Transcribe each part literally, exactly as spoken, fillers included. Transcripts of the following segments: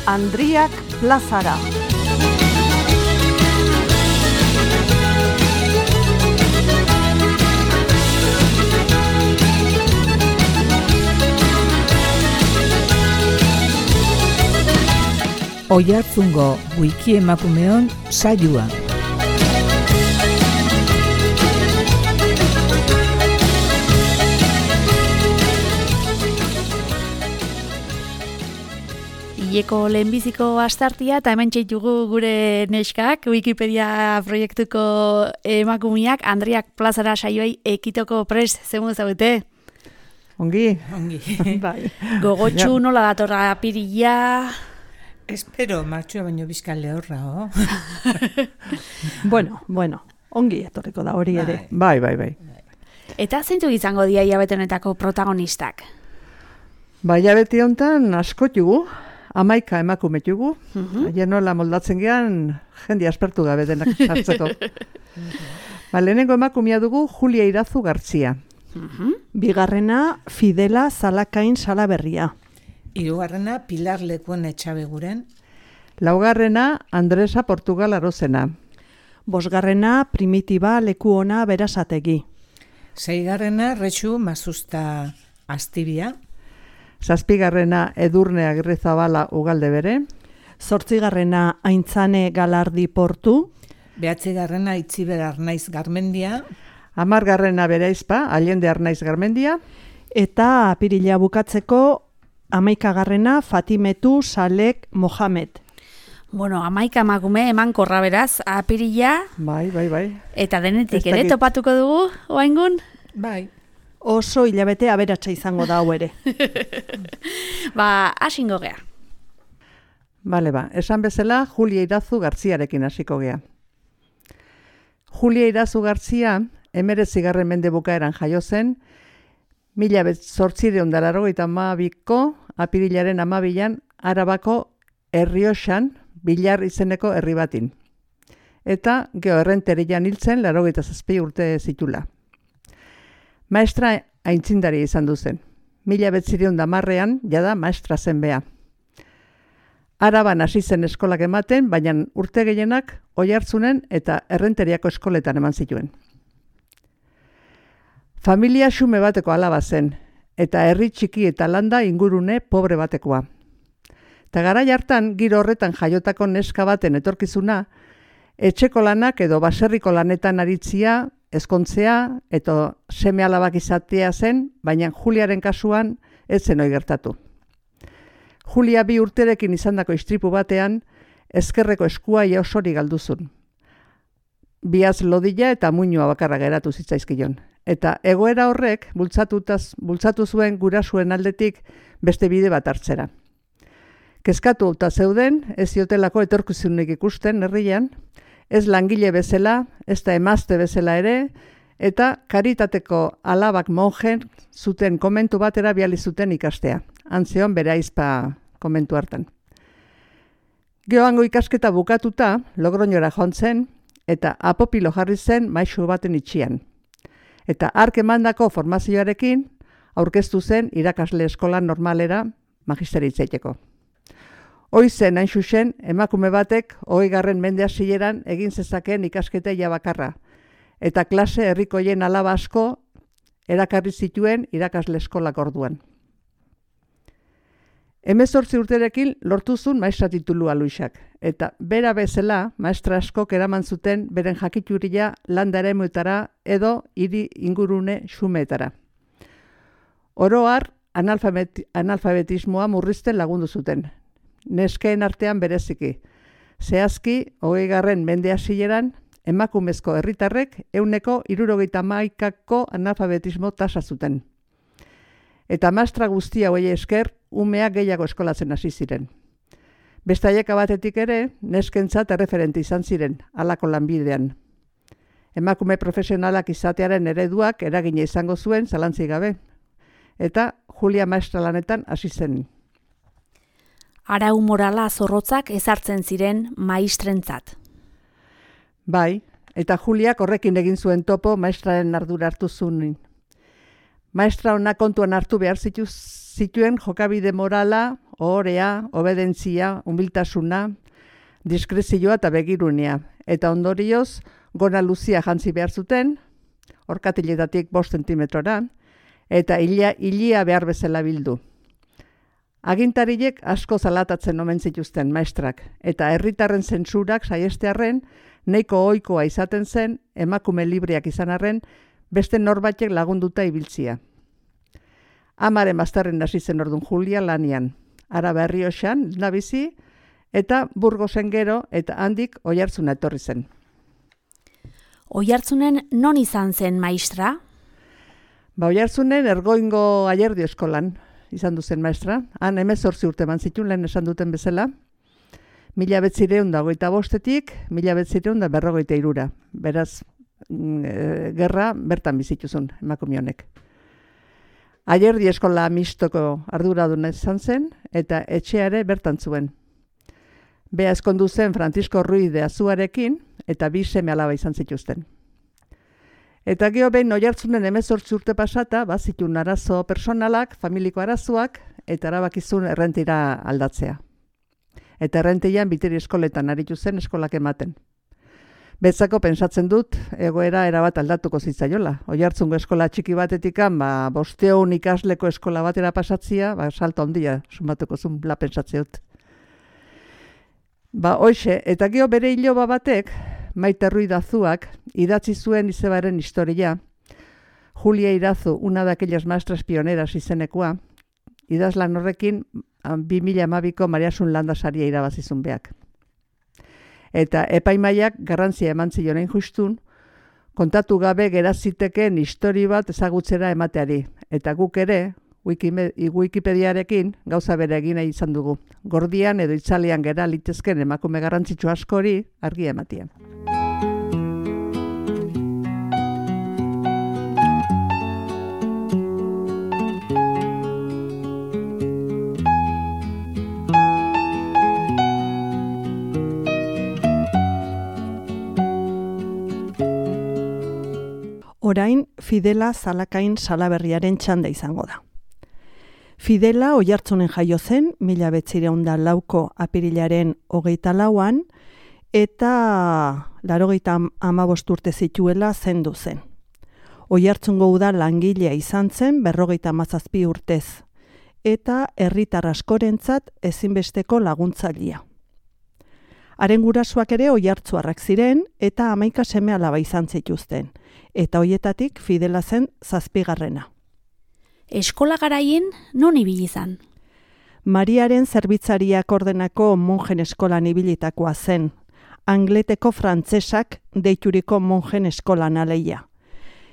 Andriak plazara. Oiartzungo wiki emakumeon saioa. Ileko lehenbiziko astartia eta hemen txeitugu gure neskak, Wikipedia proiektuko emakumeak, Andriak plazara saioei ekitoko prest, zemu zaudete? Ongi. Ongi. Bai. Gogotxu nola datorra apirila... Espero, martxua baino bizkan lehorra, oh? bueno, bueno, ongi etorriko da hori ere. Bai, bai, bai. Eta zeintzuk izango dia hilabete honetako protagonistak? Bai, hilabete honetan asko jugu, hamaika emakume jugu, Mhm. haien nola moldatzen gean jende aspertu gabe denak sartzeko. Ba, lehenengo emakumea dugu Julia Irazu Gartzia. Mhm. Bigarrena Fidela Zalakain Salaberria. Hirugarrena Pilar Lekuen Etxabeguren. Laugarrena Andresa Portugal Arozena. Bosgarrena Primitiba Lekuona Berasategi. Seigarrena Retxu Mazusta Astibia. Zazpigarrena Edurne Agirrezabala Ugalde bere. Zortzigarrena Aintzane Galardi Portu. Behatzigarrena Itziber Arnaiz Garmendia. Hamargarrena Bereizpa, Allende Arnaiz Garmendia. Eta apirila bukatzeko hamaikagarrena Fatimetu Salek Mohamed. Bueno, hamaika emakume eman korra beraz, apirila, Bai, bai, bai. eta denetik Ez ere dakit. topatuko dugu, oaingun? Bai. Oso hilabete aberatsa izango da hau ere. Ba, asingo gea. Bale ba, esan bezala Julia Irazu Gartziarekin hasiko gea. Julia Irazu Gartzia, emeretzigarren mende bukaeran jaio zen, mila zortzireun da laurogeita hamabiko apirilaren hamabian Arabako Errioxan Bilar izeneko herri batin. Eta Geoerrenterian hiltzen laurogeita zazpi urte zitula. Maestra aintzindari izan du zen. Mila betzireun da marrean, jada maestra zen bea. Araban hasi zen eskolak ematen, baina urte gehienak Oiartzunen eta Errenteriako eskoletan eman zituen. Familia xume bateko alaba zen, eta herri txiki eta landa ingurune pobre batekoa. Eta garai hartan, giro horretan jaiotako neska baten etorkizuna, etxeko lanak edo baserriko lanetan aritzia, ezkontzea eta seme alabak izatea zen, baina Juliaren kasuan ez zen ohi gertatu. Julia bi urterekin izandako istripu batean, ezkerreko eskua ia osori galduzun. Biaz lodila eta muinua bakarra geratu zitzaizkion. Eta egoera horrek bultzatutaz, bultzatu zuen gurasuen aldetik beste bide bat hartzera. Kezkatu eta zeuden, ez ziotelako etorkizunik ikusten herrian, ez langile bezala, ez da emazte bezala ere, eta karitateko alabak monjen zuten komentu batera biali zuten ikastea. Antzeon bere aizpa komentu hartan. Geoango ikasketa bukatuta, Logroñora joan zen, eta apopilo jarri zen maisu baten itxian. Eta hark emandako formazioarekin aurkeztu zen irakasle eskola normalera magisteritzaiteko. Hoi zen hain xuxen, emakume batek hogeigarren mende hasieran egin zezakeen ikasketa ia bakarra, eta klase herrikoien alaba asko erakarri zituen irakasle eskolak orduan. Hemezortzi urterekin lortuzun maestra titulua Luisak, eta bera bezala maestra askok eraman zuten beren jakituria landa eremuetara edo hiri ingurune xumeetara. Oro har, analfabet, analfabetismoa murrizten lagundu zuten. Neskeen artean bereziki. Zehazki, hogeigarren mende hasieran, emakumezko herritarrek ehuneko hirurogeita hamaikako analfabetismo tasa zuten. Eta maestra guztia hauei esker, umeak gehiago eskolatzen hasi ziren. Beste aieka batetik ere, neskentzat erreferente izan ziren, halako lanbidean. Emakume profesionalak izatearen ereduak eragina izango zuen zalantzik gabe. eta Julia maestra lanetan hasi zen. Arau morala zorrotzak ezartzen ziren maistrentzat. Bai, eta Juliak horrekin egin zuen topo maestraren ardura hartu zuen. Maestra ona kontuan hartu behar zitu, zituen jokabide morala, ohorea, obedentzia, humiltasuna, diskrezioa eta begirunea. Eta ondorioz, gona luzia jantzi behar zuten, orkatiletatik bost zentimetrora, eta ilia, ilia behar bezala bildu. Agintariek asko zalatatzen omen zituzten maestrak, eta herritarren zentsurak saiestearren, nahiko ohikoa izaten zen, emakume libreak izan arren, beste norbaitek lagunduta ibiltzia. Amaren bazterren hasi zen ordun Julia lanian, Araba Errioxan nabizi, eta Burgosen gero, eta handik Oiartzuna etorri zen. Oiartzunen non izan zen maistra? Ba, Oiartzunen Ergoingo Aierdio eskolan izan duzen maestra. Han hemezortzi urte eman zituen lehen esan duten bezala. Mila betzireun da goita bostetik, mila betzireun da berrogeita irura. Beraz, e, gerra bertan bizituzun emakume honek. Aierdi eskola mistoko arduraduna izan zen, eta etxeare bertan zuen. Bea eskondu zen Francisco Ruiz de Azuarekin, eta bi seme alaba izan zituzten. Eta geho behin Oiartzunen hemezortzi urte pasata, bazitun arazo personalak, familiko arazoak, eta erabakizun errentira aldatzea. Eta errentian biteri eskoletan aritu zen eskolak ematen. Betzako pensatzen dut, egoera erabat aldatuko zitzaiola. Oiartzungo eskola txiki batetikan, ba, bosteun ikasleko eskola batera pasatzia, ba, salto handia, sumatuko zun, la pensatzeut. Ba, hoxe, eta geho bere hiloba batek, Maite Ruiz de Azuak, idatzi zuen izebaren historia, Julia Irazu, una de aquellas maestras pioneras izenekoa, idazlan horrekin, bi mila hamabiko Mariasun Landasaria irabazizun beak. Eta epaimaiak garrantzia eman zionein justun, kontatu gabe geraziteken histori bat ezagutzera emateari. Eta guk ere, Wikipediarekin gauza bere egin nahi izan dugu. Gordian edo itzalean gera litezken emakume garrantzitsu askori argia ematean. Orain, Fidela Zalakain Salaberriaren txanda izango da. Fidela Oiartzunen jaio zen, mila betzireun da lauko apirilaren hogeita lauan, eta larogeita hamabost urte zituela zendu zen. Oiartzungo uda langilea izan zen berrogeita hamazazpi urtez, eta herritar askorentzat ezinbesteko laguntzailea. Haren gurasoak ere oiartzuarrak ziren eta hamaika seme alaba izan zituzten, eta hoietatik Fidela zen zazpigarrena. Eskola garaien non ibili izan? Mariaren zerbitzariak ordenako monjen eskolan ibilitakoa zen, Angleteko frantzesak deituriko monjen eskolan aleia.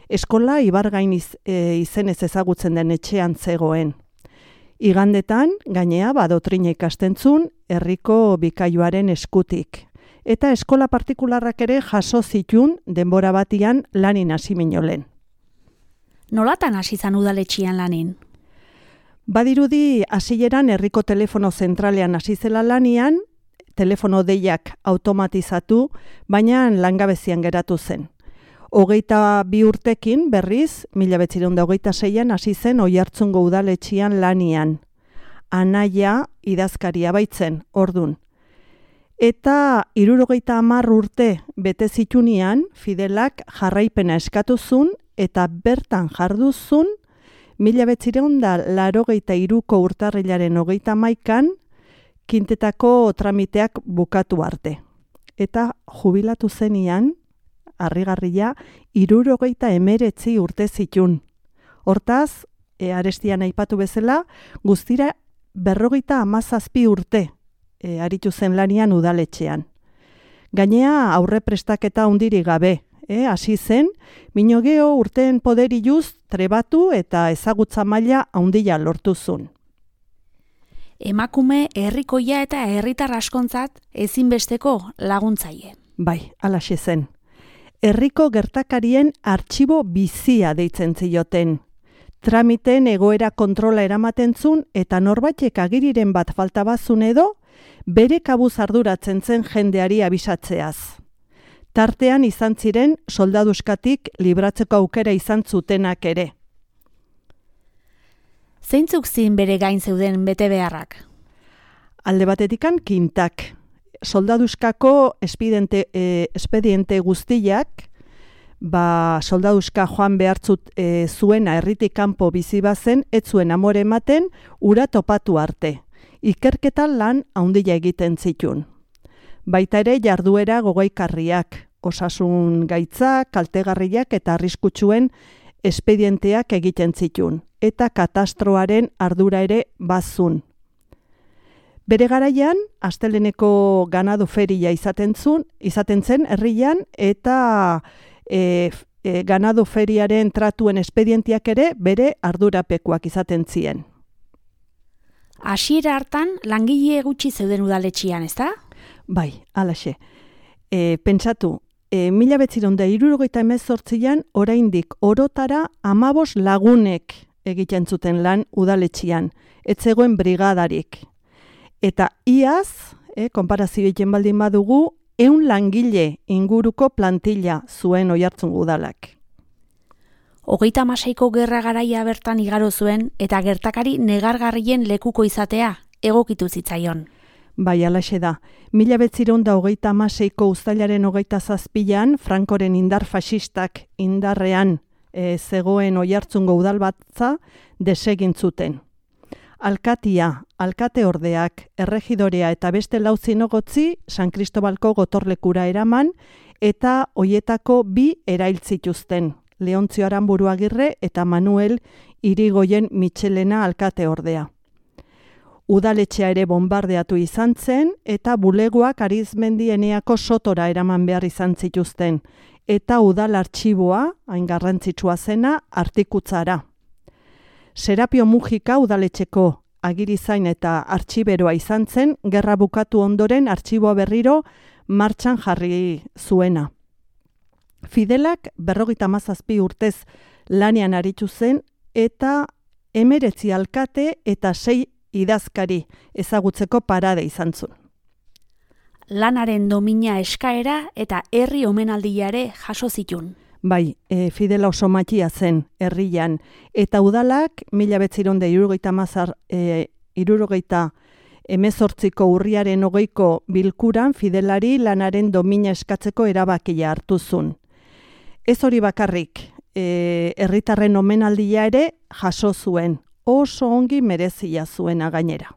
Eskola ibargain iz, e, izenez ezagutzen den etxean zegoen. Igandetan, gainea badotrina ikastentzun, herriko bikaiuaren eskutik. Eta eskola partikularrak ere jaso zitun denbora batian lanin hasi minolen. Nolatan hasi zan udaletxian lanin? Badirudi hasieran herriko telefono zentralean hasi zela lanian, telefono deiak automatizatu, baina langabezian geratu zen. Hogeita bi urtekin berriz, mila bederatziehun eta hogeita seian hasi zen Oiartzungo udaletxian lanian. Anaia idazkaria baitzen, ordun. Eta hirurogeita hamar urte bete zitunian, Fidelak jarraipena eskatuzun eta bertan jarduzun, mila bederatziehun eta laurogeita hiruko urtarrilaren hogeita hamaikan, kintetako tramiteak bukatu arte. Eta jubilatu zenian, harrigarria, hirurogeita hemeretzi urte zitun. Hortaz, e, arestian aipatu bezala, guztira berrogeita hamazazpi urte e, aritu zen lanian udaletxean. Gainea aurre prestaketa hundiri gabe, e, hasi zen, minogeo urteen poderiluz trebatu eta ezagutza maila handia lortuzun. Emakume herrikoia eta herritar askontzat ezinbesteko laguntzaile. Bai, halaxe zen. Herriko gertakarien artxibo bizia deitzen zioten. Tramiten egoera kontrola eramaten zun eta norbaitek agiriren bat falta bazun edo, bere kabuz arduratzen zen jendeari abisatzeaz. Tartean izan ziren soldaduskatik libratzeko aukera izan zutenak ere. Zeintzuk zin bere gain zeuden bete beharrak? Alde batetikan kintak. Soldaduskako espediente, eh, espediente guztiak, ba, soldaduska joan behartzut e, zuena herritik kanpo bizi bazen, ez zuen amore ematen, ura topatu arte. Ikerketan lan handia egiten zitun. Baita ere jarduera gogaikarriak, osasun gaitzak, kaltegarriak eta arriskutsuen espedienteak egiten zitun, eta katastroaren ardura ere bazun. Bere garaian, asteleneko ganadu feria izaten zuen, izaten zen herrian, eta e, e, ganadu feriaren tratuen espedientiak ere bere ardurapekoak izaten zien. Hasiera hartan langile gutxi zeuden udaletxian, ezta? Bai, halaxe. E, pentsatu, e, mila behatziehun eta hirurogeita hemezortzian oraindik orotara hamabos lagunek egiten zuten lan udaletxian, ez zegoen brigadarik. Eta iaz, e, konparazio egiten baldin badugu, ehun langile inguruko plantilla zuen Oiartzungo udalak. Hogeita hamaseiko gerra garaia bertan igaro zuen eta gertakari negargarrien lekuko izatea egokitu zitzaion. Bai, halaxe da. Mila behatziehun eta hogeita hamaseiko uztailaren hogeita zazpian, Frankoren indar faxistak indarrean e, zegoen Oiartzungo udalbatza desegin zuten. Alkatia, alkate ordeak, erregidorea eta beste lau zinegotzi San Kristobalko gotorlekura eraman eta hoietako bi erail zituzten, Leontzio Aranburu Agirre eta Manuel Irigoyen Mitxelena alkate ordea. Udaletxea ere bombardeatu izan zen eta bulegoak Arizmendieneako sotora eraman behar izan zituzten eta udal artxiboa, hain garrantzitsua zena, artikutzara. Serapio Mujika udaletxeko agirizain eta artxiberoa izan zen, gerra bukatu ondoren artxiboa berriro martxan jarri zuena. Fidelak berrogeita hamazazpi urtez lanean aritu zen eta hemeretzi alkate eta sei idazkari ezagutzeko parade izan zuen. Lanaren domina eskaera eta herri omenaldia ere jaso zitun. Bai, e, Fidela oso matxia zen herrian, eta udalak mila behatziehun eta hirurogeita hamar e, hirurogeita hemezortziko urriaren hogeiko bilkuran Fidelari lanaren domina eskatzeko erabakia hartu zuen. Ez hori bakarrik, e, herritarren omenaldia ere jaso zuen, oso ongi merezia zuena gainera.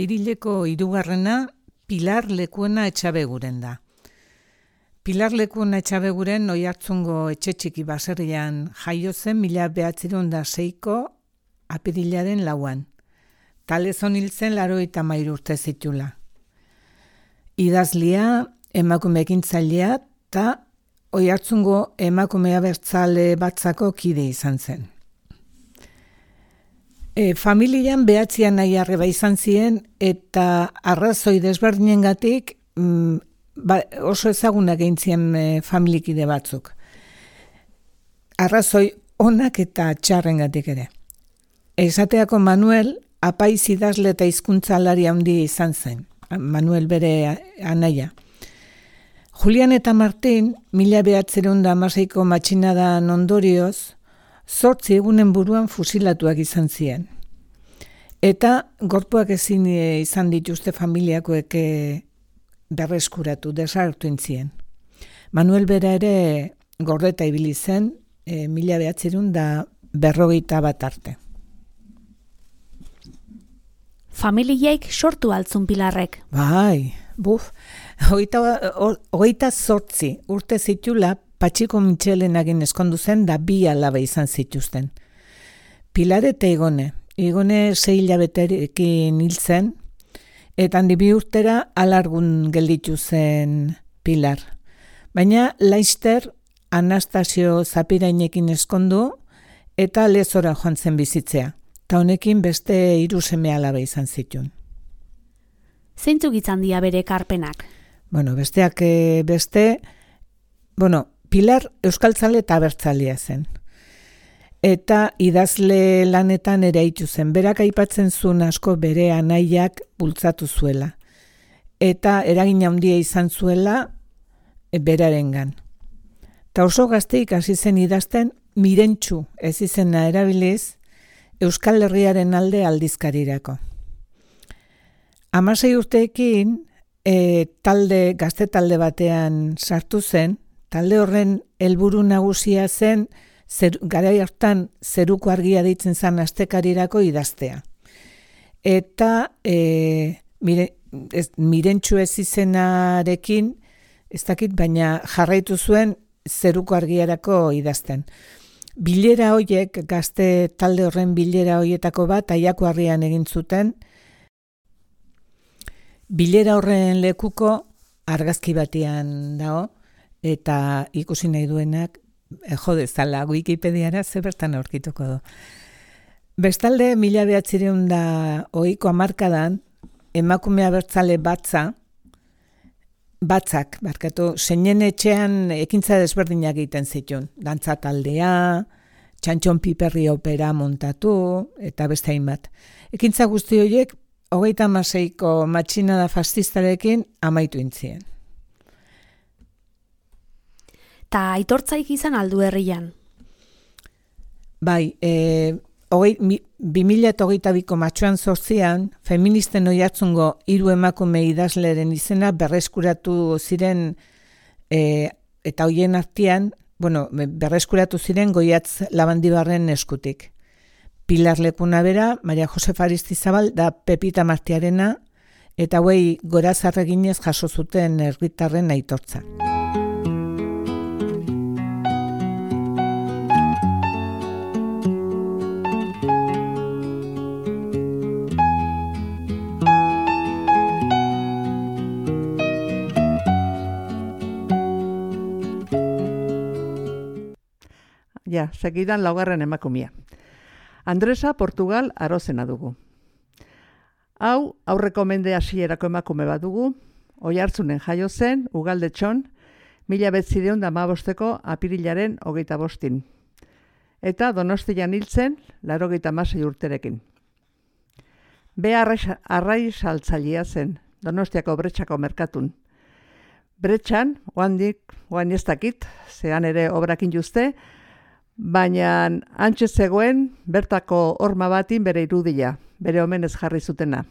Apirileko hirugarrena Pilar Lekuena Etxabeguren da. Pilar Lekuena Etxabeguren Oiartzungo etxe txiki baserrian jaio zen mila bederatziehun eta seiko apirilaren lauan. Talezon hil zen laurogeita hamairu urte zitula. Idazlia, emakume ekintzailea eta Oiartzungo emakume abertzale batzako kide izan zen. E, familian behatzian nahi arreba izan ziren eta arrazoi desberdinengatik mm, ba, oso ezagunak egin ziren e, familikide batzuk. Arrazoi onak eta txarrengatik ere. Esateako Manuel apaiz idazle eta hizkuntzalari handia izan zen. Manuel bere anaia. Julian eta Martin, mila behatziehun eta hamaseiko matxinadan ondorioz, zortzi egunen buruan fusilatuak izan ziren. Eta gorpuak ezin izan dituzte familiakoek berreskuratu, desartu intzien. Manuel bera ere gordeta ibili zen, e, mila behatziehun da berrogeita bat arte. Familiaik sortu altzun Pilarrek. Bai, buf, hogeita zortzi urte zitula Patxiko Mitxelenagin eskondu zen da bi alaba izan zituzten. Pilar eta Igone. Igone sei hilabeterekin hil zen, eta handi bi urtera alargun gelditu zen Pilar. Baina Laister Anastasio Zapirainekin eskondu eta Lezora joan zen bizitzea. Ta honekin beste hiru seme alaba izan zituen. Zeintzuk izan dira bere ekarpenak? Bueno, besteak e, beste, bueno, Pilar euskaltzale eta abertzalea zen. Eta idazle lanetan ere aitu zen. Berak aipatzen zuen asko bere anaiak bultzatu zuela. Eta eragin handia izan zuela e, berarengan. Ta oso gazteik hasi zen idazten Mirentxu ez izena erabiliz Euskal Herriaren alde aldizkarirako. Hamasei urteekin e, talde, gazte talde batean sartu zen, talde horren helburu nagusia zen zer, garai hartan zeruko argia deitzen zen astekarirako idaztea. Eta e, mire, ez, Mirentxu ez izenarekin, ez dakit, baina jarraitu zuen zeruko argiarako idazten. Bilera hoiek, gazte talde horren bilera hoietako bat, Aiako Harrian egin zuten, bilera horren lekuko argazki batean dago, eta ikusi nahi duenak, e, jode zala, Wikipediara ze bertan aurkituko du. Bestalde, mila behatzireun da ohiko hamarkadan, emakume abertzale batza, batzak, barkatu, zeinen etxean ekintza desberdinak egiten zituen. Dantza taldea, Txantxon Piperri opera montatu, eta beste hainbat. Ekintza guzti horiek, hogeita hamaseiko matxinada fascistarekin amaitu intzien. Ta aitortzaik izan aldu herrian? Bai, e, hogei, bi mila eta hogeita biko matxoan zortzian, feministen oihartzungo hiru emakume idazleren izena berreskuratu ziren, e, eta hoien artean, bueno, berreskuratu ziren Goiatz Labandibarren eskutik. Pilar Lekunabera, Maria Josefa Aristizabal da Pepita Martiarena, eta hauei gorazarreginez jaso zuten herritarren aitortza. Ja, segidan laugarren emakumia. Andresa Portugal Arozena dugu. Hau, aurreko mende hasierako emakume bat dugu, Oiartzunen jaio zen, Ugaldetxon, mila behatziehun eta hamabosteko apirilaren hogeita bostin. Eta Donostian hiltzen, laurogeita hamasei urterekin. Bea arrai saltzailea zen, Donostiako Bretxako merkatun. Bretxan, oandik, oan ez dakit, zean ere obrakin juzte, baina antxe zegoen bertako horma batin bere irudia, bere omenez jarri zutena.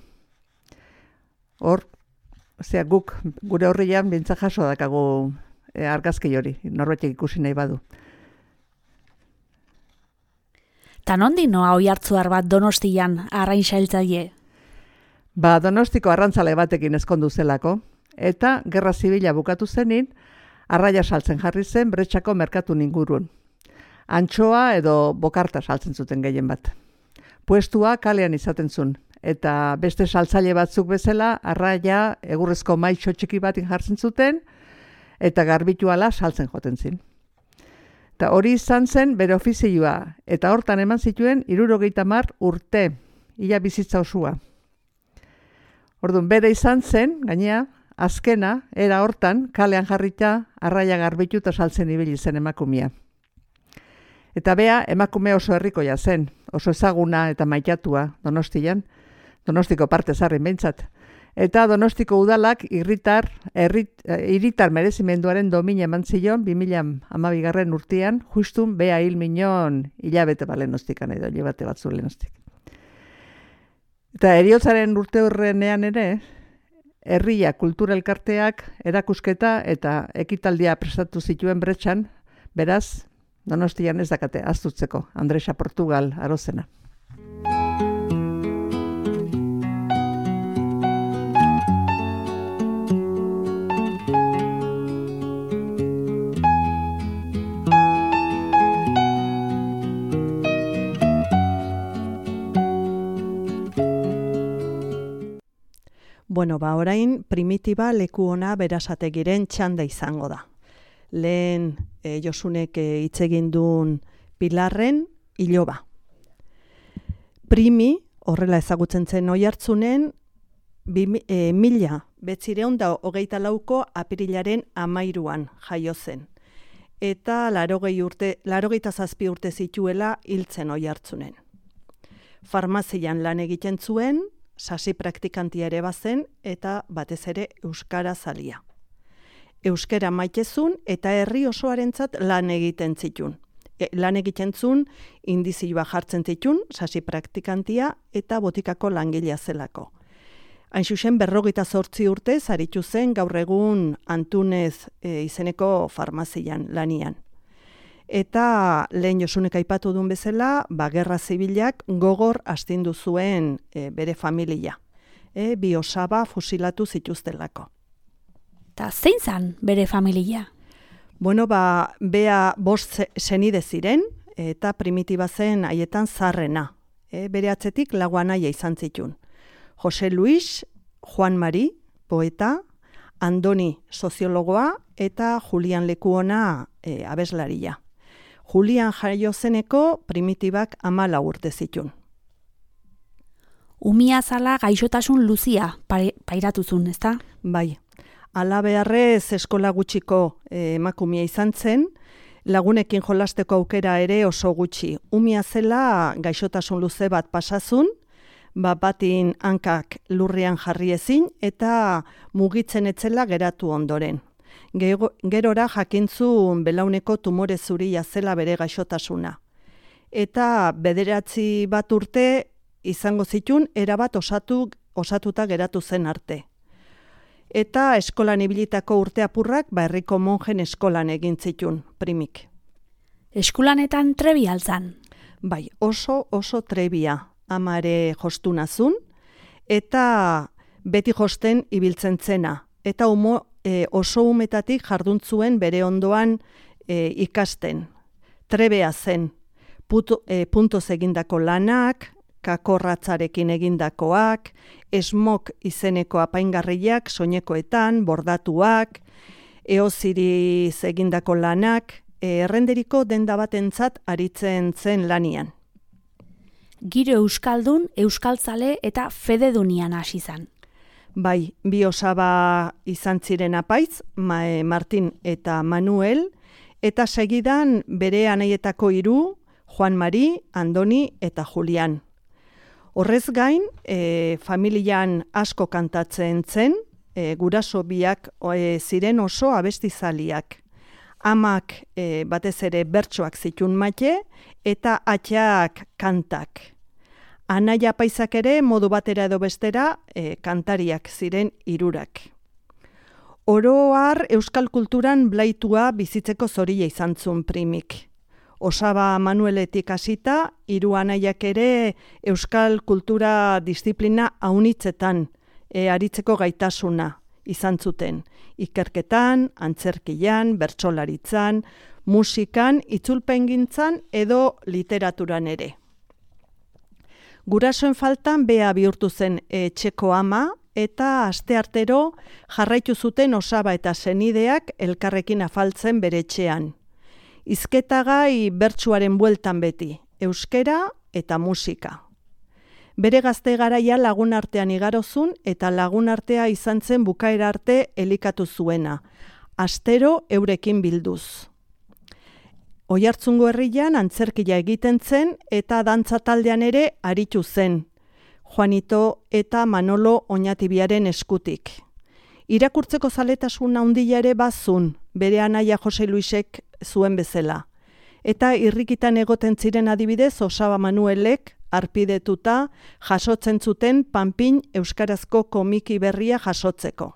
Hor, zera, guk gure horrian bintza jaso dakagu e, argazki hori, norbaitek ikusi nahi badu. Ta nondi noa oihartzuar bat Donostian arrain sailtzaile? Ba, Donostiko arrantzale batekin ezkondu zelako, eta gerra zibila bukatu zenin, arraia saltzen jarri zen Bretxako merkatun ingurun. Antxoa edo bokarta saltzen zuten gehien bat. Puestua kalean izaten zuen, eta beste saltzaile batzuk bezala arraia egurrezko maitxo txiki batin jartzen zuten, eta garbituala saltzen joten zin. Eta hori izan zen bere ofizioa, eta hortan eman zituen hirurogeita hamar urte, ia bizitza osua. Orduan, bere izan zen, gainea, azkena, era hortan, kalean jarrita, arraia garbitu eta saltzen ibili zen emakumea. Eta bea, emakume oso herrikoia zen, oso ezaguna eta maitatua Donostian, Donostiko parte zarrin behintzat. Eta Donostiko udalak irritar, errit, iritar merezimenduaren domina eman zion, bi mila hamabigarren urtean, justun bea hil minon hilabete balenostik, edo hilabete batzu lehenostik. Eta eriotzaren urte horrenean ere, herria kultura elkarteak erakusketa eta ekitaldia prestatu zituen Bretxan, beraz, Donostian ez dakate aztutzeko, Andresa Portugal Arozena. Bueno, ba, orain primitiba leku ona berasategiren txanda izango da. lehen e, Josunek hitz egin duen Pilarren iloba. Primi, horrela ezagutzen zen Oiartzunen, bi, e, mila betzireun da hogeita lauko apirilaren amairuan jaio zen. Eta larogei urte, larogeita zazpi urte zituela hiltzen Oiartzunen. Farmazian lan egiten zuen, sasi praktikantia ere bazen eta batez ere euskara zalia. Euskara maitezun eta herri osoarentzat lan egiten zitun. E, lan egiten zuen indizioa jartzen zitun, sasi praktikantia eta botikako langilea zelako. Hain zuzen berrogeita zortzi urte zaritu zen gaur egun Antunez e, izeneko farmazian lanian. Eta lehen Josunek aipatu duen bezala, ba, gerra zibilak gogor astindu zuen e, bere familia. E, bi osaba fusilatu zituztelako. Eta zein zan bere familia? Bueno, ba, bea bost senide ziren, eta primitiba zen haietan zarrena. E, bere atzetik lau anaia izan zitun. Jose Luis, Juan Mari, poeta, Andoni, soziologoa, eta Julian Lekuona, e, abeslaria. Julian jaio zeneko primitibak amala urte zitun. Umia zala gaixotasun luzia pairatuzun, ezta? Bai. Ala beharrez eskola gutxiko eh, emakumea izan zen, lagunekin jolasteko aukera ere oso gutxi. Umia zela gaixotasun luze bat pasazun, ba, batin hankak lurrean jarri ezin eta mugitzen etzela geratu ondoren. Gerora jakintzun belauneko tumore zuria zela bere gaixotasuna. Eta bederatzi bat urte izango zitun erabat osatu, osatuta geratu zen arte. Eta eskolan ibilitako urte apurrak ba, herriko monjen eskolan egin zitun, primik. Eskulanetan trebia altzan? Bai, oso oso trebia. Amare jostunazun, eta beti josten ibiltzen zena. Eta umo, e, oso umetatik jarduntzuen bere ondoan e, ikasten. Trebea zen, Puto, e, puntoz egindako lanak, kakorratzarekin egindakoak, esmok izeneko apaingarriak, soinekoetan, bordatuak, eoziriz egindako lanak, e, errenderiko denda batentzat aritzen zen lanian. Giro euskaldun, euskaltzale eta fededunian hasi izan. Bai, bi osaba izan ziren apaiz, Martin eta Manuel, eta segidan bere anaietako hiru, Juan Mari, Andoni eta Julian. Horrez gain, e, familian asko kantatzen zen, e, guraso biak e, ziren oso abestizaliak. Amak e, batez ere bertsoak zitun maite eta atxak kantak. Anaia apaizak ere modu batera edo bestera e, kantariak ziren hirurak. Oro har euskal kulturan blaitua bizitzeko zoria izan zuen primik. Osaba Manueletik hasita, hiru anaiak ere euskal kultura disiplina aunitzetan e, aritzeko gaitasuna izan zuten. Ikerketan, antzerkian, bertsolaritzan, musikan, itzulpengintzan edo literaturan ere. Gurasoen faltan bea bihurtu zen etxeko ama eta asteartero jarraitu zuten osaba eta senideak elkarrekin afaltzen bere etxean. Hizketagai bertsuaren bueltan beti, euskera eta musika. Bere gazte garaia lagun artean igarozun eta lagun artea izan zen bukaera arte elikatu zuena, astero eurekin bilduz. Oiartzungo herrian antzerkia egiten zen eta dantza taldean ere aritu zen, Juanito eta Manolo Oñatibiaren eskutik. Irakurtzeko zaletasun handia ere bazun, bere anaia Jose Luisek zuen bezala. Eta irrikitan egoten ziren adibidez Osaba Manuelek arpidetuta jasotzen zuten Panpin euskarazko komiki berria jasotzeko.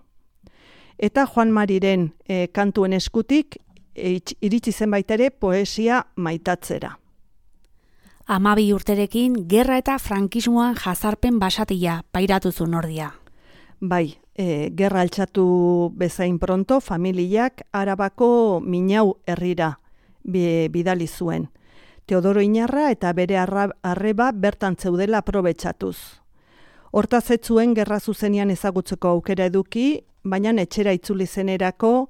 Eta Juan Mariren e, kantuen eskutik e, iritsi zen baita ere poesia maitatzera. Amabi urterekin gerra eta frankismoan jazarpen basatia pairatu zuen ordia. Bai, e, gerra altxatu bezain pronto familiak Arabako Minau herrira bidali zuen. Teodoro Inarra eta bere arreba bertan zeudela aprobetxatuz. Hortaz ez zuen gerra zuzenean ezagutzeko aukera eduki, baina etxera itzuli zenerako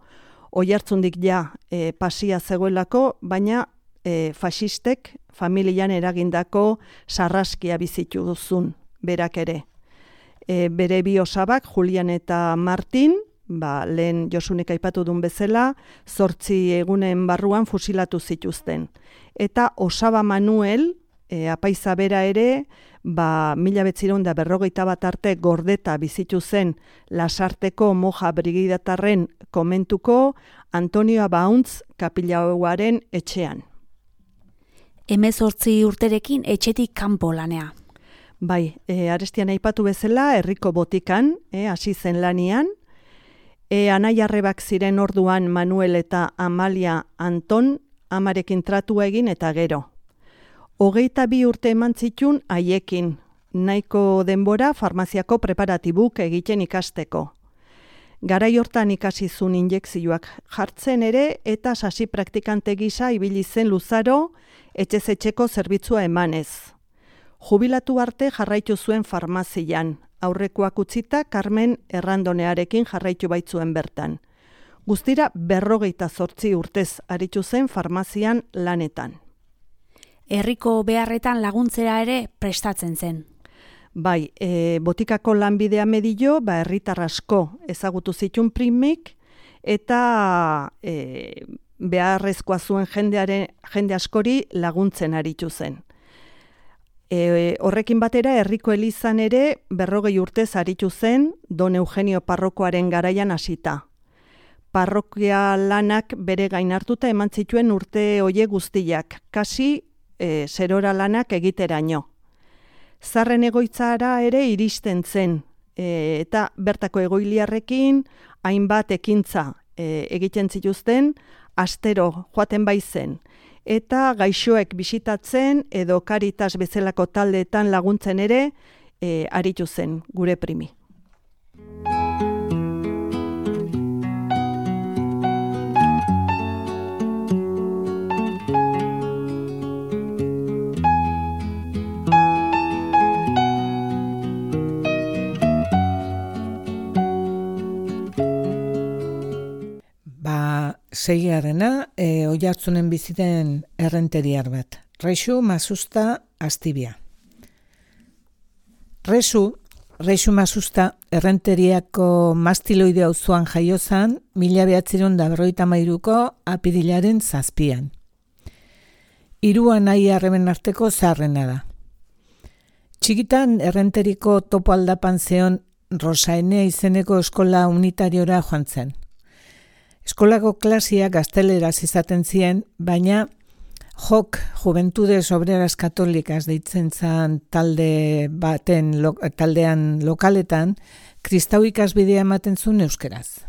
Oiartzundik ja e, pasia zegoelako, baina e, faxistek familian eragindako sarraskia bizitu duzun berak ere. E, bere bi osabak, Julian eta Martin, ba, lehen Josunek aipatu duen bezala, zortzi egunen barruan fusilatu zituzten. Eta osaba Manuel, e, apaiza bera ere, ba, mila betzireun da berrogeita bat arte gordeta bizitu zen Lasarteko moja brigidatarren komentuko Antonio Bauntz kapilauaren etxean. Hemezortzi urterekin etxetik kanpo lanea. Bai, e, arestian aipatu bezala, herriko botikan, e, hasi zen lanian, e, anaiarrebak ziren orduan Manuel eta Amalia Anton amarekin tratua egin eta gero. Hogeita bi urte eman zitun haiekin, nahiko denbora farmaziako preparatibuk egiten ikasteko. Garai hortan ikasi zuen injekzioak jartzen ere eta sasi praktikante gisa ibili zen luzaro etxez etxeko zerbitzua emanez. Jubilatu arte jarraitu zuen farmazian, aurrekoak utzita Carmen Errandonearekin jarraitu baitzuen bertan. Guztira berrogeita zortzi urtez aritu zen farmazian lanetan. Herriko beharretan laguntzera ere prestatzen zen. Bai, e, botikako lanbidea medio, ba, herritar asko ezagutu zitun primik, eta e, beharrezkoa zuen jendearen, jende askori laguntzen aritu zen. E, horrekin batera, herriko elizan ere berrogei urtez aritu zen Don Eugenio parrokoaren garaian hasita. Parrokia lanak bere gain hartuta eman zituen urte hoie guztiak, kasi e, zerora lanak egiteraino. Zarren egoitzara ere iristen zen, e, eta bertako egoiliarrekin hainbat ekintza e, egiten zituzten, astero joaten baizen, eta gaixoek bisitatzen edo Caritas bezalako taldeetan laguntzen ere e, aritu zen gure primi. Seigarrena, e, Oiartzunen biziten errenteriar bat. Rexu Masusta Astibia. Resu, Rexu Masusta errenteriako mastiloide auzoan jaiozan, mila behatzireun da berrogeita hamairuko apirilaren zazpian. Hiru anai arreben arteko zaharrena da. Txikitan errenteriko topo aldapan zeon Rosaenea izeneko eskola unitariora joan zen. Eskolako klasiak gazteleraz izaten ziren, baina Jok Juventudes Obreras Katolikas deitzen zan talde baten lo, taldean lokaletan kristau ikasbidea ematen zuen euskeraz.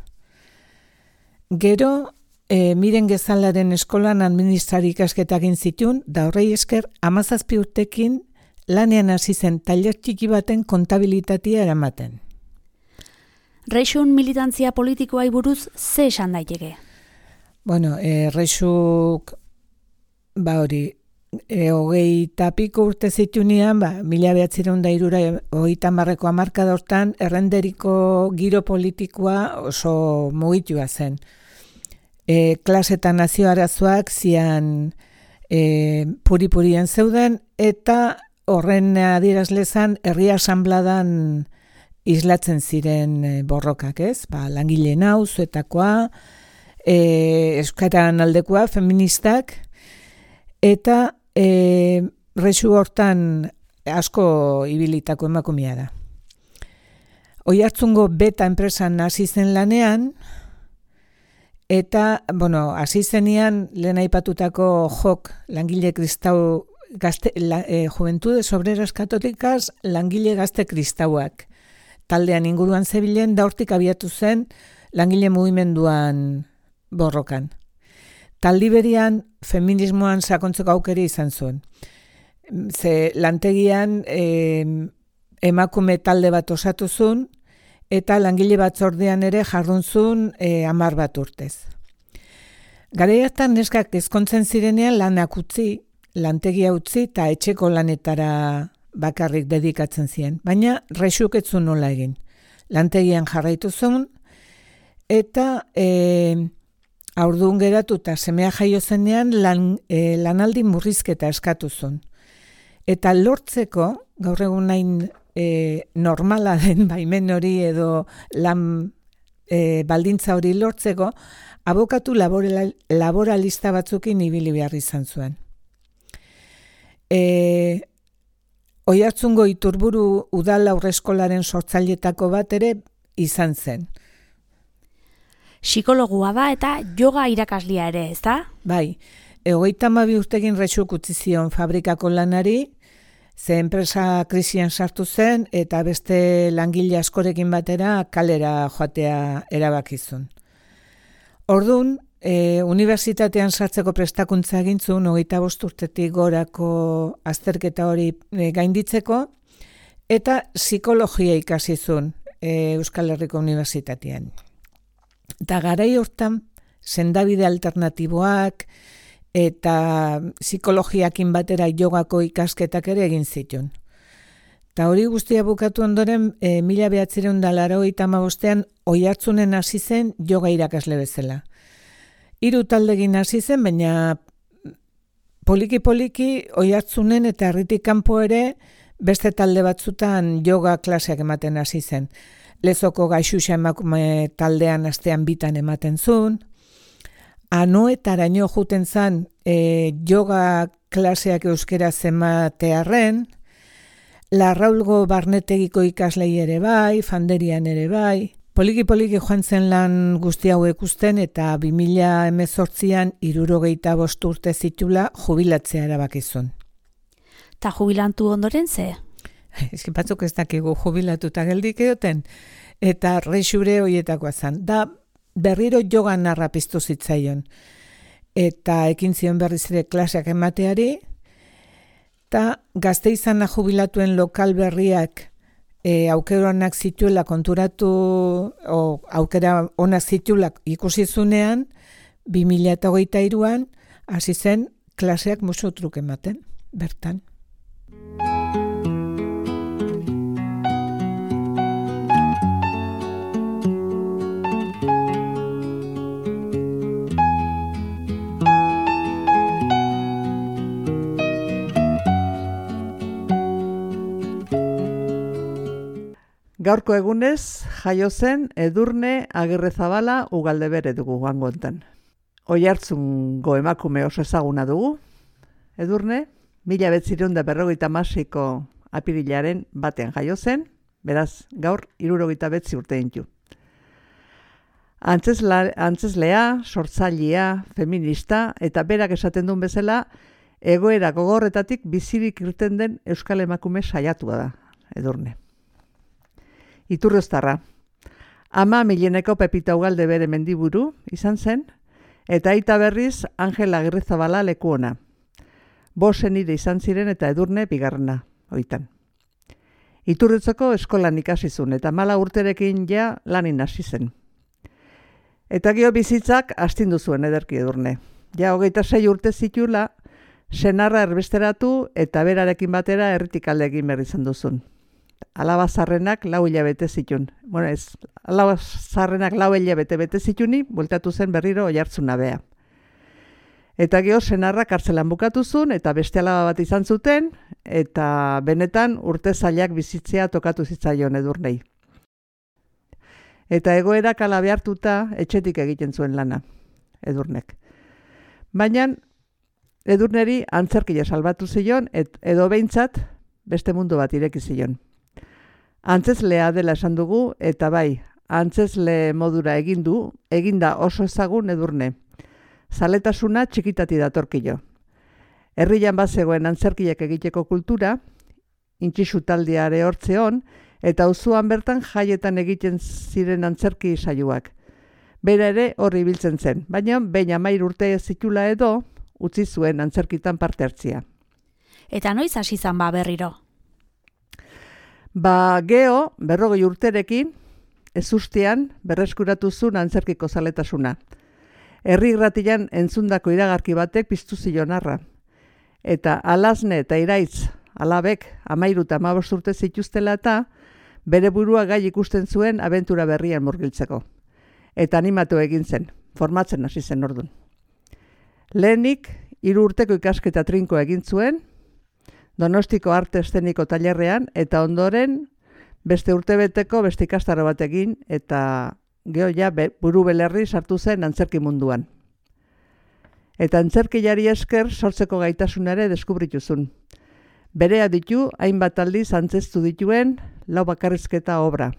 Gero, e, Miren Gezalaren eskolan administrari ikasketak egin zituen, da horrei esker hamazazpi urtekin lanean hasi zen tailer txiki baten kontabilitatea eramaten. Rexun militantzia politikoai buruz ze esan daiteke? Bueno, e, Rexuk, ba hori, e, hogei tapiko urte zitunean, ba, mila behatzireun da irura, hogeita hamarreko hamarkada hortan, errenderiko giro politikoa oso mugitua zen. E, klasetan nazio arazoak zian e, puri-purien zeuden, eta horren adierazlezan herri asanbladan islatzen ziren borrokak, ez? Ba, langileen auzoetakoa, e, euskaran aldekoa, feministak, eta e, Rexu hortan asko ibilitako emakumea da. Oiartzungo Beta enpresan hasi zen lanean, eta, bueno, hasi zenean lehen aipatutako Jok langile kristau gazte, la, e, Juventudes Obreras Katolikas langile gazte kristauak. Taldean inguruan zebilen, da hortik abiatu zen langile mugimenduan borrokan. Taldi berian feminismoan sakontzeko aukera izan zuen. Ze lantegian e, emakume talde bat osatu zuen, eta langile batzordean ere jardun zuen e, hamar bat urtez. Garaiatan neskak ezkontzen zirenean lanak utzi, lantegia utzi eta etxeko lanetara bakarrik dedikatzen ziren, baina Rexuk ez zuen nola egin. Lantegian jarraitu zuen, eta e, Haurdun geratu eta semea jaio zenean lan, e, lanaldi murrizketa eskatu zuen. Eta lortzeko, gaur egun nahin e, normala den baimen hori edo lan e, baldintza hori lortzeko, abokatu laboral, laboralista batzukin ibili behar izan zuen. E, Oiartzungo Iturburu udal aurreskolaren sortzailetako bat ere izan zen. Psikologua da eta yoga irakaslia ere, ez da? Bai, hogeita hamabi urtegin rexuk utzi zion fabrikako lanari, ze enpresa krisian sartu zen eta beste langile askorekin batera kalera joatea erabakizun. Ordun, e, unibertsitatean sartzeko prestakuntza egintzun, hogeita bost urtetik gorako azterketa hori e, gainditzeko, eta psikologia ikasizun e, Euskal Herriko Unibertsitatean. Eta garai hortan, sendabide alternatiboak eta psikologiakin batera jogako ikasketak ere egin zituen. Eta hori guztia bukatu ondoren, e, mila behatzireun da laurogeita hamabostean Oiartzunen hasi zen yoga irakasle bezala. Hiru taldegin hasi zen, baina poliki-poliki Oiartzunen eta herritik kanpo ere beste talde batzutan yoga klaseak ematen hasi zen. Lezoko Gaixuxa emakume taldean astean bitan ematen zuen. Anoetaraino juten zan e, yoga klaseak euskeraz ematearren, Larraulgo Barnetegiko ikaslei ere bai, Fanderian ere bai. Poliki-poliki joan zen lan guzti hau ikusten eta bi mila hemezortzian hirurogeita bost urte zitula jubilatzea erabakizun. Ta jubilantu ondoren ze? Eski batzuk ez dakigu jubilatuta geldik egoten, eta rexure hoietakoa zen. Da berriro yoga narra piztu zitzaion. Eta ekin zion berriz ere klaseak emateari, eta Gasteizana jubilatuen lokal berriak e, aukera onak zituela konturatu, o aukera onak zituela ikusi zunean, bi mila hogeita hiruan hasi zen klaseak musu truk ematen, bertan. Gaurko egunez, jaio zen Edurne Agirrezabala Ugaldebere dugu joango hontan. Oiartzungo emakume oso ezaguna dugu. Edurne, mila behatziehun eta berrogeita hamaseiko apirilaren batean jaio zen, beraz, gaur hirurogeita bederatzi urte ditu. Antzesla, antzeslea, sortzailea, feminista eta berak esaten duen bezala, egoera gogorretatik bizirik irten den euskal emakume saiatua da, Edurne. Iturrioztarra. Ama Mileneko Pepita Ugaldebere mendiburu izan zen, eta aita berriz Angel Agirrezabala leku ona. Bosen ide izan ziren eta Edurne bigarrena, oitan. Iturritzoko eskolan ikasizun eta mala urterekin ja lanin hasi zen. Eta gio bizitzak astindu zuen ederki Edurne. Ja hogeita sei urte zitula, senarra erbesteratu eta berarekin batera herritik alde egin berri izan duzun. Alaba zarrenak lau hilabete zitun. Bueno, ez, alaba zarrenak lau hilabete bete zituni, bueltatu zen berriro Oiartzuna bea. Eta geho senarra kartzelan bukatu zuen, eta beste alaba bat izan zuten, eta benetan urte zailak bizitzea tokatu zitzaion Edurnei. Eta egoerak ala behartuta etxetik egiten zuen lana, Edurnek. Baina Edurneri antzerkia salbatu zion, et, edo behintzat beste mundu bat ireki zion. Antzeslea dela esan dugu, eta bai, antzesle modura egin du, eginda oso ezagun Edurne. Zaletasuna txikitati datorkio. Herrian bazegoen antzerkiak egiteko kultura, intxixu taldeare hortzeon, eta auzoan bertan jaietan egiten ziren antzerki saioak. Bera ere horri biltzen zen, baina behin hamairu urte zitula edo, utzi zuen antzerkitan parte hartzia. Eta noiz hasi izan ba berriro? Ba, geho, berrogei urterekin, ezustean berreskuratu zuen antzerkiko zaletasuna. Herri irratian entzundako iragarki batek piztu zion arra. Eta Alazne eta Iraitz, alabek, amairu eta hamabost urte zituztela eta bere burua gai ikusten zuen abentura berrian murgiltzeko. Eta animatu egin zen. formatzen hasi zen ordun. Lehenik, hiru urteko ikasketa trinko egin zuen, Donostiko arte eszeniko tailerrean, eta ondoren beste urtebeteko beste ikastaro bat egin, eta geho ja buru belerri sartu zen antzerki munduan. Eta antzerkiari esker sortzeko gaitasunare deskubrituzun. Berea ditu, hainbat aldiz antzestu dituen lau bakarrizketa obra.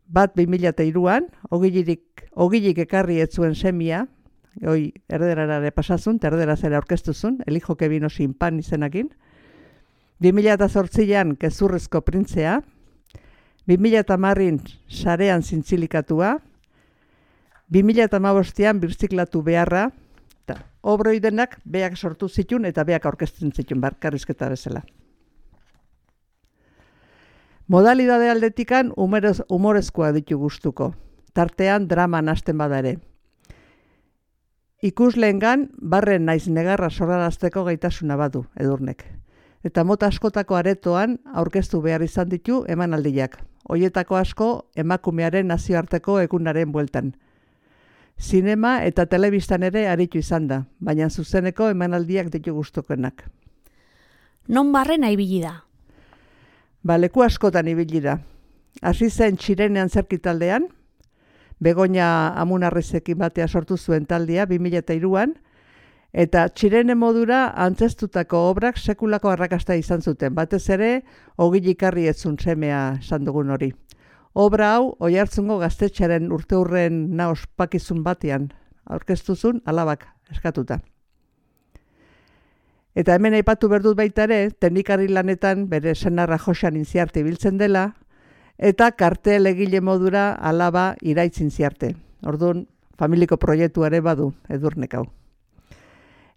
Bat bi mila hiruan, ogilik ekarri ez zuen semia, hoi erderarare pasazun, erderaz ere aurkeztuzun, elijo que vino sin pan izenakin. bi mila zortzian kezurrezko printzea, bi mila hamarrin sarean zintzilikatua, bi mila hamabostean birziklatu beharra, eta obroi denak beak sortu zitun eta beak aurkezten zitun bakarrizketa bezala. Modalidade aldetikan humorezkoa ditu gustuko, tartean drama nasten bada ere. Ikusleengan barren naiz negarra sorrarazteko gaitasuna badu Edurnek. Eta mota askotako aretoan aurkeztu behar izan ditu emanaldiak. Hoietako asko emakumearen nazioarteko egunaren bueltan. Zinema eta telebistan ere aritu izan da, baina zuzeneko emanaldiak ditu gustukoenak. Non barren ibili da? Ba, leku askotan ibili da. Hasi zen Txirenean zerkitaldean, Begoña Amunarrizekin batea sortu zuen taldea bi mila hiruan, eta Txirene modura antzestutako obrak sekulako arrakasta izan zuten, batez ere ogilik-arri etzun semea esan dugun hori. Obra hau Oiartzungo gaztetxearen urteurren na ospakizun batean aurkeztuzun alabak eskatuta. Eta hemen aipatu berdut baita ere, teknikari lanetan bere senarra Joxan Intziarte ibiltzen dela, eta kartel egile modura alaba iraitzin ziarte. Orduan, familiko proiektuare badu Edurnek hau.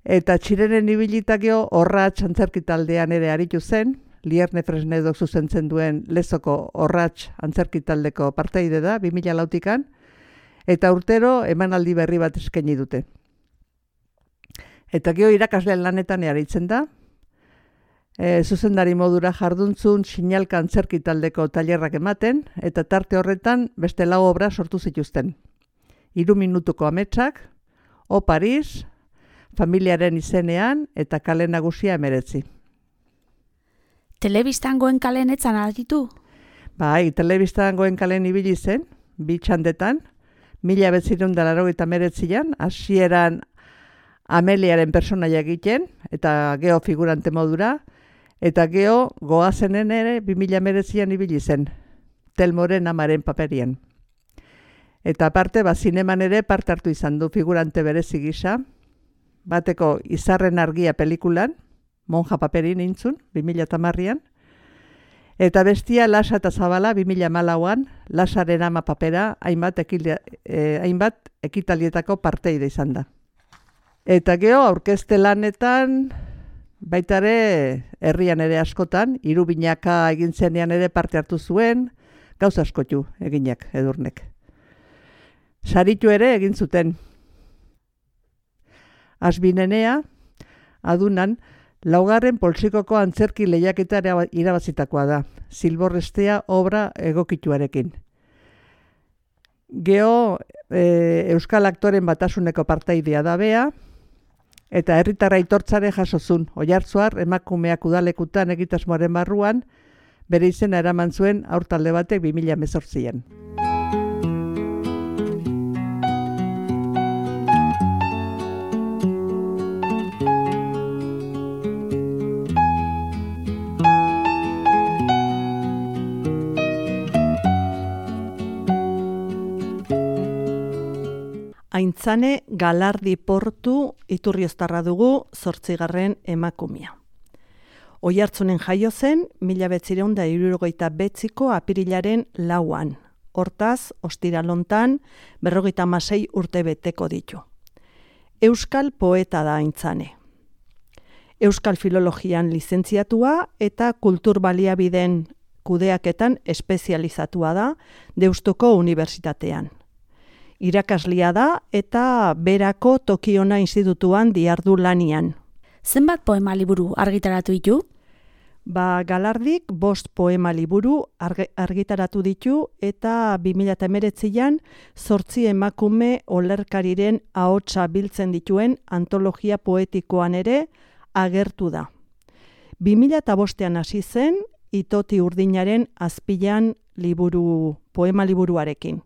Eta Txirenen ibilitakio Orratz antzerki taldean ere aritu zen, Lierne Fresnedok zuzentzen duen Lezoko Orratz antzerki taldeko parteide da, bi mila lautikan, eta urtero emanaldi berri bat eskaini dute. Eta geho irakasleen lanetan aritzen da, E, zuzendari modura jarduntzun sinalka antzerki taldeko tailerrak ematen, eta tarte horretan beste lau obra sortu zituzten. Hiru minutuko ametsak, O Paris, familiaren izenean eta kale nagusia emeretzi. Telebistan goen kalen etzan aditu? Bai, telebistan goen kalen ibili zen, bi txandetan, mila betzirun da laurogeita hemeretzian, hasieran Ameliaren personaia egiten, eta geho figurante modura, eta geho goazenen ere bi mila hemeretzian ibili zen, Telmoren amaren paperien. Eta aparte, ba, zineman ere parte hartu izan du figurante berezi gisa, bateko Izarren argia pelikulan, monja paperin intzun, bi mila hamarrean, eta bestia Lasa eta Zabala bi mila hamalauan, Lasaren ama papera hainbat, ekile, eh, hainbat ekitalietako parteide izan da. Eta geho aurkezte lanetan, baita ere herrian ere askotan, hiru binaka egin zenean ere parte hartu zuen, gauza askotu eginak Edurnek. Saritu ere egin zuten. Azbinenea, adunan, laugarren poltsikoko antzerki lehiaketara irabazitakoa da, Zilborrestea obra egokituarekin. Geho e, Euskal Aktoren Batasuneko partaidea da bea, eta herritarra aitortzare jasozun, Oiartzuar emakumeak udalekutan egitasmoaren barruan, bere izena eraman zuen aurtalde batek bi mila hemezortzian. Aintzane Galardi Portu Iturrioztarra dugu zortzigarren emakumea. Oiartzunen jaio zen, mila behatziehun eta hirurogeita bederatziko apirilaren lauan. Hortaz, ostiralontan, berrogeita hamasei urte beteko ditu. Euskal poeta da Aintzane. Euskal filologian lizentziatua eta kultur baliabideen kudeaketan espezializatua da Deustuko Unibertsitatean. Irakaslia da eta berako Tokiona institutuan diardu lanian. Zenbat poema liburu argitaratu ditu? Ba, Galardik bost poema liburu argitaratu ditu eta bi mila hemeretzian zortzi emakume olerkariren ahotsa biltzen dituen antologia poetikoan ere agertu da. bi mila bostean hasi zen Itoti Urdinaren azpilan liburu, poema liburuarekin.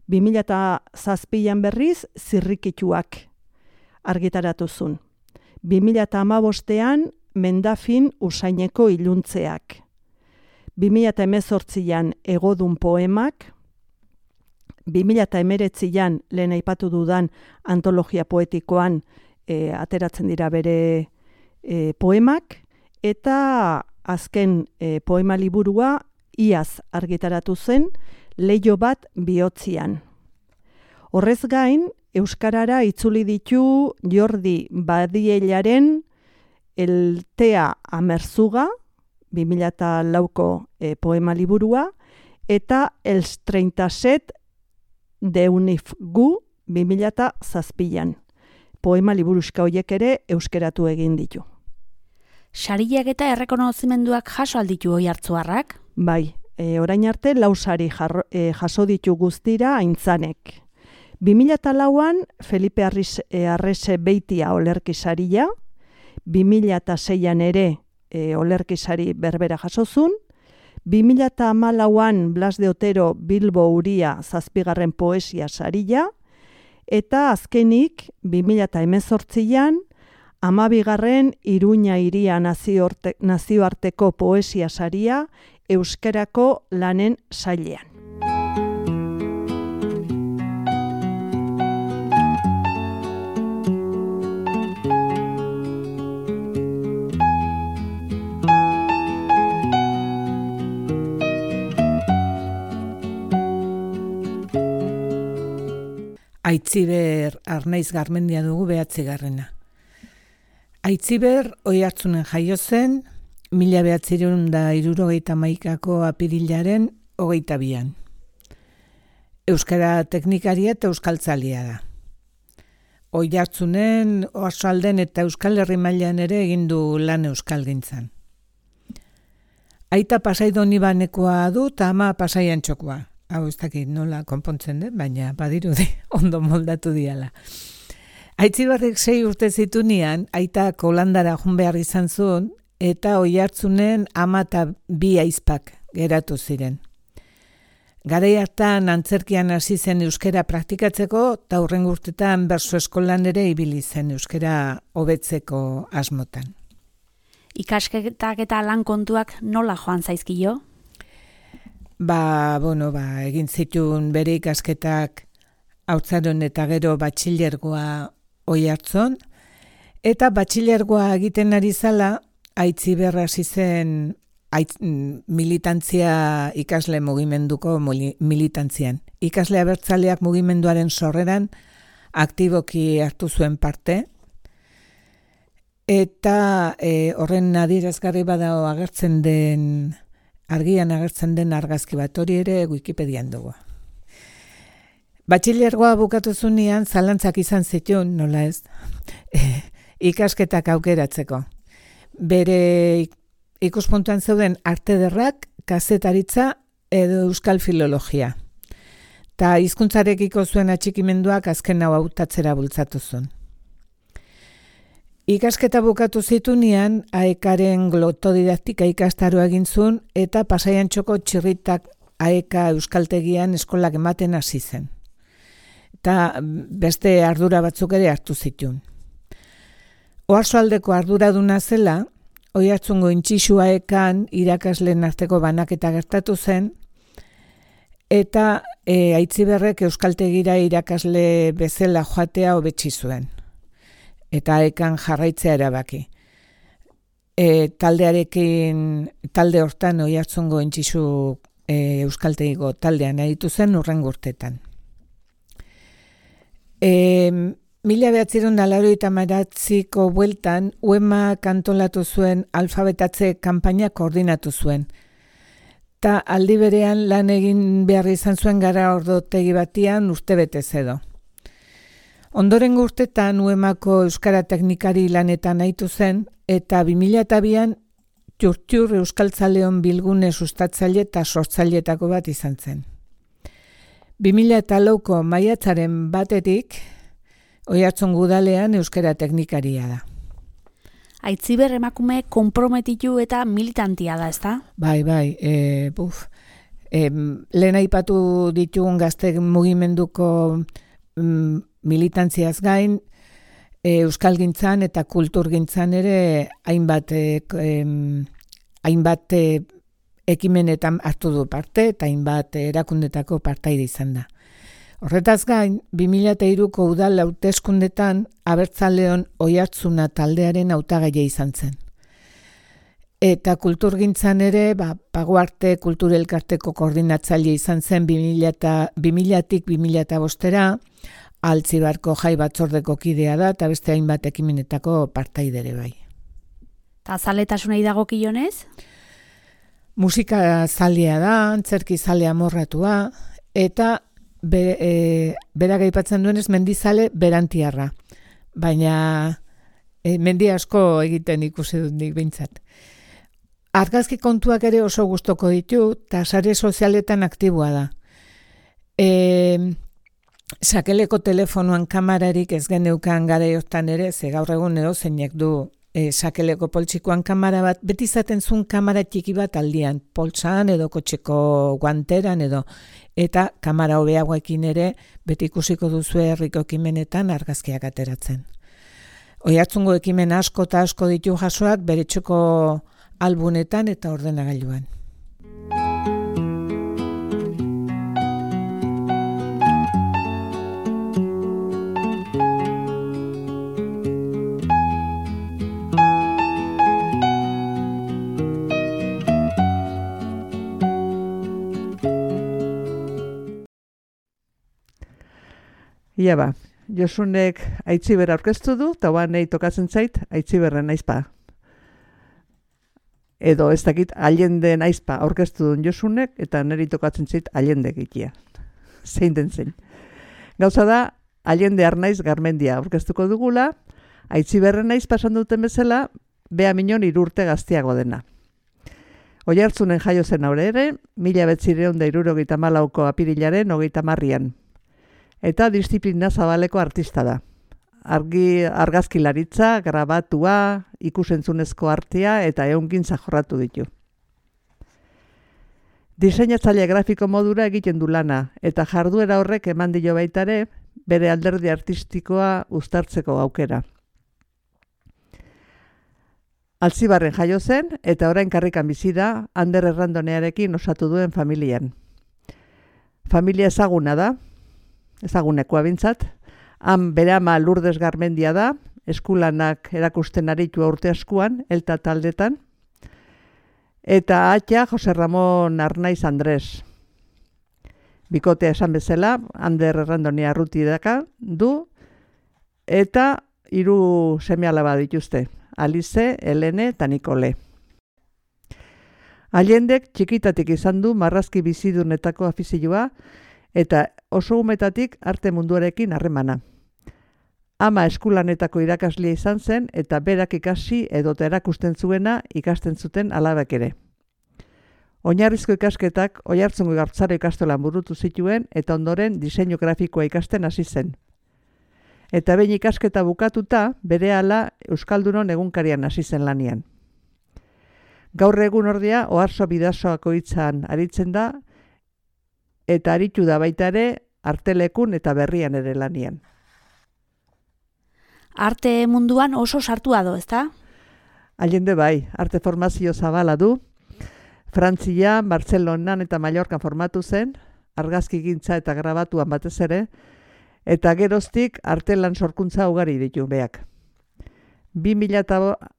bi mila zazpian berriz Zirrikituak argitaratu zuen. bi mila hamabostean Mendafin Usaineko iluntzeak. bi mila hemezortzian Egodun poemak, bi mila hemeretzian lehen aipatu dudan antologia poetikoan e, ateratzen dira bere e, poemak, eta azken e, poema liburua iaz argitaratu zen Leiho bat bihotzian. Horrez gain, euskarara itzuli ditu Jordi Badielaren Eltea Amerzuga, bi mila lauko e, poema liburua, eta Els treinta set de Unifgu, bi mila zazpian. Poema liburuska horiek ere euskeratu egin ditu. Sariak eta errekonozimenduak jaso alditu hoi hartzuarrak? Bai, e, orain arte lau sari jarro, e, jaso ditu guztira aintzanek. bi mila lauan Felipe Arris, e, Arrese Beitia olerki saria, bi mila seian ere e, olerkisari berbera jasozun, bi mila hamalauan Blas de Otero Bilbo Uria zazpigarren poesia saria, eta azkenik bi mila hemezortzian hamabigarren Iruña Iria nazioarte, nazioarteko poesia saria euskerako lanen sailean. Aitziber Arnaiz Garmendia dugu behatzigarrena. Aitziber Oiartzunen jaio zen, mila behatziehun eta hirurogeita hamaikako apirilaren hogeita bian. Euskara teknikaria eta euskaltzalia da. Oiartzunen, Oarsoalden eta Euskal Herri mailan ere egin du lan euskalgintzan. Aita Pasaidon ibanekoa du eta ama Pasaian txokoa. Hau ez dakit nola konpontzen den, baina badirudi ondo moldatu diala. Aitziberrek sei urte zitunean, aita Holandara joan behar izan zuen, eta Oiartzunen ama eta bi aizpak geratu ziren. Garai hartan antzerkian hasi zen euskera praktikatzeko, eta hurrengo urtetan berso eskolan ere ibili zen euskera hobetzeko asmotan. Ikasketak eta lan kontuak nola joan zaizkio? Ba, bueno, ba, egin zituen bere ikasketak haurtzaroan eta gero batxilergoa Oiartzun, eta batxilergoa egiten ari zala, Aitziber hasi zen aitz, militantzia ikasle mugimenduko militantzian. Ikasle abertzaleak mugimenduaren sorreran aktiboki hartu zuen parte, eta e, horren adierazgarri badago agertzen den argian agertzen den argazki bat, hori ere Wikipedian dugu. Batxilergoa bukatu zunean zalantzak izan zituen, nola ez, e, ikasketak aukeratzeko. Bere ikuspuntuan zeuden arte derrak, kazetaritza edo euskal filologia. Ta hizkuntzarekiko zuen atxikimenduak azken hau hautatzera bultzatu zuen. Ikasketa bukatu zitunean, aekaren glotodidaktika ikastaroa egin zuen eta Pasaian txoko txirritak aeka euskaltegian eskolak ematen hasi zen. Eta beste ardura batzuk ere hartu zituen. Oarsoaldeko arduraduna zela, Oiartzungo Intxixu aekan irakasleen arteko banaketa gertatu zen, eta e, Aitziberrek euskaltegira irakasle bezala joatea hobetsi zuen. Eta aekan jarraitzea erabaki. E, taldearekin, talde hortan Oiartzungo Intxixu e, euskaltegiko taldean aritu zen hurrengo urtetan. E, Mila behatziehun eta laurogeita hamazazpiko bueltan, U E M A antolatu zuen alfabetatze kanpaina koordinatu zuen. Ta aldi berean lan egin behar izan zuen gara ordotegi batian urtebetez edo. Ondorengo urtetan U E M Ako euskara teknikari lanetan aitu zen, eta bi mila bian Txurtxur euskaltzaleon bilgune sustatzaile eta sortzaileetako bat izan zen. bi mila lauko maiatzaren batetik, Oiartzun udalean euskara teknikaria da. Aitziber emakume konprometitu eta militantia da, ezta? Bai, bai, e, buf, e, lehen aipatu ditugun gazte mugimenduko mm, militantziaz gain, e, euskalgintzan eta kulturgintzan ere hainbat, e, em, hainbat e, ekimenetan hartu du parte eta hainbat erakundetako partaide izan da. Horretaz gain, bi mila hiruko udal hauteskundetan Abertzaleon Oiartzuna taldearen hautagaile izan zen. Eta kulturgintzan ere, ba, Pagoarte Kulturelkarteko koordinatzaile izan zen bi milatik bi mila bostera, Altzibarko jai batzordeko kidea da eta beste hainbat ekimenetako partaidere bai. Ta zaletasunei dagokionez? Musika zalea da, antzerki zalea morratua, eta Be, e, berak aipatzen duenez mendizale berantiarra, baina e, mendi asko egiten ikusi dut nik behintzat. Argazki kontuak ere oso gustoko ditu, eta sare sozialetan aktiboa da. E, sakeleko telefonoan kamararik ez geneukan garaiotan ere, ze gaur egun edo zeinek du e, sakeleko poltsikoan kamara bat, beti izaten zuen kamara txiki bat aldian, poltsan edo kotxeko guanteran edo, eta kamara hobeagoekin ere beti ikusiko duzu herriko ekimenetan argazkiak ateratzen. Oiartzungo ekimen asko eta asko ditu jasoak bere txoko albunetan eta ordenagailuan. Ia ba, Josunek Aitziber aurkeztu du, eta ba nahi tokatzen zait Aitziberren aizpa. Edo ez dakit Allende aizpa aurkeztu duen Josunek, eta niri tokatzen zait Allende egitea. Zein den zein. Gauza da, Allende Arnaiz Garmendia aurkeztuko dugula, Aitziberren aizpa esan duten bezala, bea minon irurte gaztiago dena. Oiartzunen jaio zen aurre ere, mila betzireun da irurogeita malauko apirilaren hogeita marrian. Eta disiplina zabaleko artista da. Argi, argazkilaritza, grabatua, ikusentzunezko artea eta ehungintza jorratu ditu. Diseinatzaile grafiko modura egiten du lana, eta jarduera horrek eman dio baitare bere alderdi artistikoa uztartzeko aukera. Altzibarren jaio zen, eta orain karrikan bizi da, Ander Errandonearekin osatu duen familian. Familia ezaguna da, ezagunekoa bintzat, han bere ama Lourdes Garmendia da, eskulanak erakusten aritu urte askuan, elta taldetan, eta atxa Jose Ramon Arnaiz Andres. Bikotea esan bezala, Ander Errandonea arruti daka du, eta hiru seme-alaba dituzte, Alize, Helene eta Nikole. Allendek txikitatik izan du marrazki bizidunetako afizioa, eta oso umetatik arte munduarekin harremana. Ama eskulanetako irakaslia izan zen eta berak ikasi edota erakusten zuena ikasten zuten alabak ere. Oinarrizko ikasketak Oiartzungo Gartzaro ikastolan burutu zituen eta ondoren diseinu grafikoa ikasten hasi zen. Eta behin ikasketa bukatuta berehala Euskaldunon egunkarian hasi zen lanian. Gaur egun ordea Oarso Bidasoako hitzan aritzen da, eta aritu da baita ere artelekun eta berrian ere lanian. Arte munduan oso sartua do, ezta? Allende bai, arte formazio zabala du. Frantzia, Bartzelonan eta Mallorcan formatu zen, argazkigintza eta grabatuan batez ere, eta geroztik artelan sorkuntza ugari ditu beak. bi mila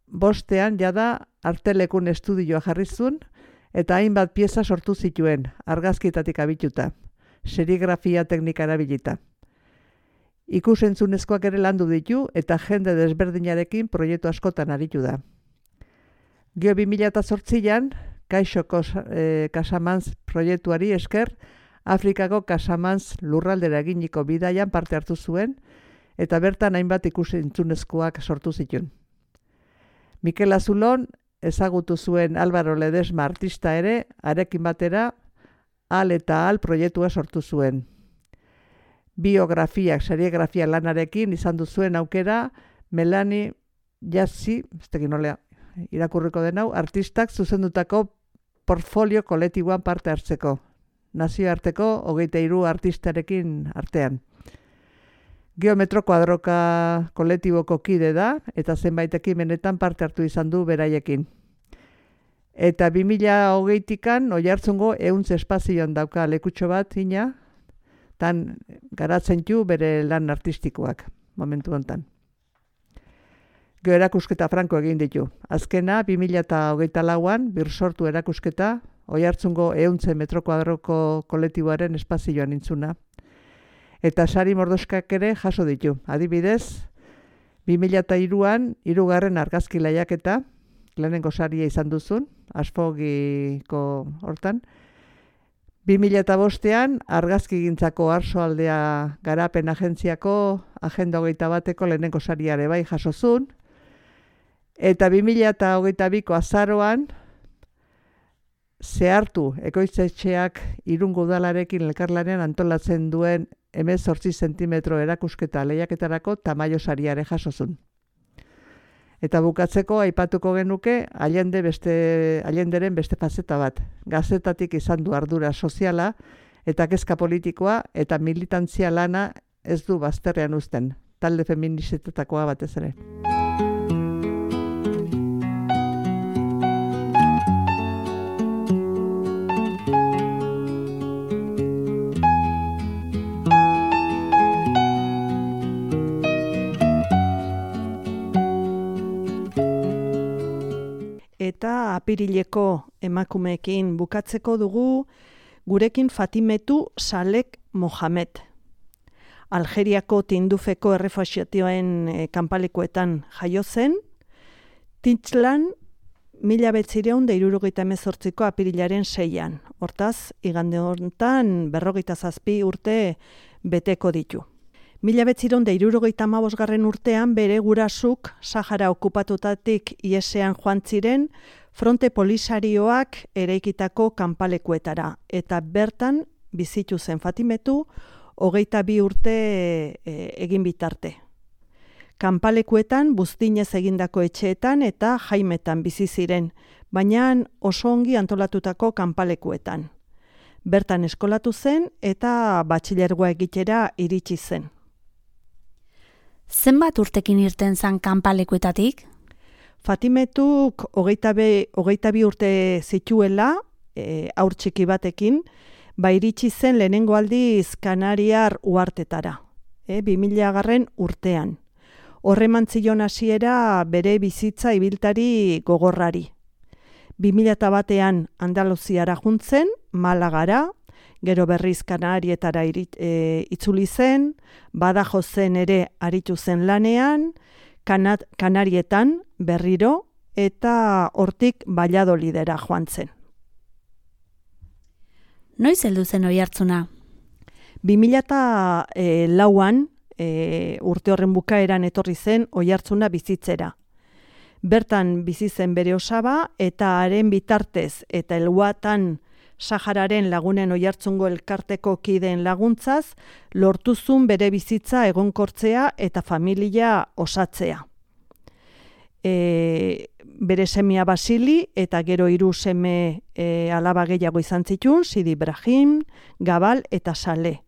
bostean jada artelekun estudioa jarri zuen, eta hainbat pieza sortu zituen, argazkietatik abituta, serigrafia teknika erabilita. Ikusentzunezkoak ere landu ditu eta jende desberdinarekin proiektu askotan aritu da. Geo bi mila zortzian, Kaixo eh, Casamance proiektuari esker, Afrikako Casamance lurraldera eginiko bidaian parte hartu zuen, eta bertan hainbat ikusentzunezkoak sortu zituen. Mikel Azulon, ezagutu zuen Álvaro Ledesma artista ere, arekin batera, Al eta Al proiektua sortu zuen. Biografiak, serigrafia lanarekin izan du zuen aukera, Melanie Jassi, ez tekin nolea, irakurriko den hau, artistak zuzendutako portfolio kolektiboan parte hartzeko. Nazioarteko hogeita hiru artistarekin artean. Geometro kuadroka kolektiboko kide da, eta zenbait ekimenetan parte hartu izan du beraiekin. Eta bi mila hogeitikan Oiartzungo ehun espazioan dauka lekutxo bat, ina, tan garatzen du bere lan artistikoak, momentu hontan. Gero erakusketa franko egin ditu. Azkena, bi mila hogeita lauan, birsortu erakusketa, Oiartzungo ehun metro kuadroko kolektiboaren espazioan intzuna. Eta sari mordoskak ere jaso ditu. Adibidez, bi mila hiruan, hirugarren argazki lehiaketa, lehenengo saria izan duzun, Asfogiko hortan. bi mila bostean, argazkigintzako Arsoaldea garapen agentziako agenda hogeita bateko lehenengo sariare bai jasozun. Eta bi mila hogeita biko azaroan, zehartu ekoitzetxeak Irungo udalarekin elkarlanean antolatzen duen hemezortzi zentimetro erakusketa lehiaketarako tamaio sariare jasozun. Eta bukatzeko aipatuko genuke Allende beste, Allenderen beste fazeta bat. Gazetatik izan du ardura soziala eta kezka politikoa eta militantzia lana ez du bazterrean uzten. Talde feministetakoa batez ere. Eta apirileko emakumeekin bukatzeko dugu gurekin Fatimetu Salek Mohamed. Algeriako Tindufeko errefuxiatioen e, kanpalekuetan jaio zen, Tintxlan mila behatziehun eta hirurogeita hemezortziko apirilaren seian. Hortaz, igande honetan berrogeita zazpi urte beteko ditu. Mila behatziehun eta hirurogeita hamabosgarren urtean bere gurasuk Sahara okupatutatik iesean joan ziren fronte polisarioak eraikitako kanpalekuetara eta bertan bizitu zen Fatimetu hogeita bi urte e, egin bitarte. Kanpalekuetan buztinez egindako etxeetan eta jaimetan bizi ziren, baina oso ongi antolatutako kanpalekuetan. Bertan eskolatu zen eta batxilergoa egitera iritsi zen. Zenbat urtekin irten zan kanpalekuetatik? Fatimetuk hogeita be, hogeita bi urte zituela, e, haur txiki batekin, ba iritsi zen lehenengo aldiz Kanariar uhartetara, e, bi mila garren urtean. Horreman zion hasiera bere bizitza ibiltari gogorrari. bi mila batean Andaluziara juntzen, Malagara, gero berriz Kanarietara irit, e, itzuli zen, Badajozen ere aritu zen lanean, Kanat, Kanarietan berriro, eta hortik Valladolidera joan zen. Noiz heldu zen Oiartzuna? bi mila lauan, e, urte horren bukaeran etorri zen Oiartzuna bizitzera. Bertan bizi zen bere osaba eta haren bitartez eta helguatan Sahararen lagunen Oiartzungo elkarteko kideen laguntzaz, lortuzun bere bizitza egonkortzea eta familia osatzea. E, bere semia Basili eta gero hiru seme e, alaba gehiago izan zituen, Sidi Ibrahim, Gabal eta Sale.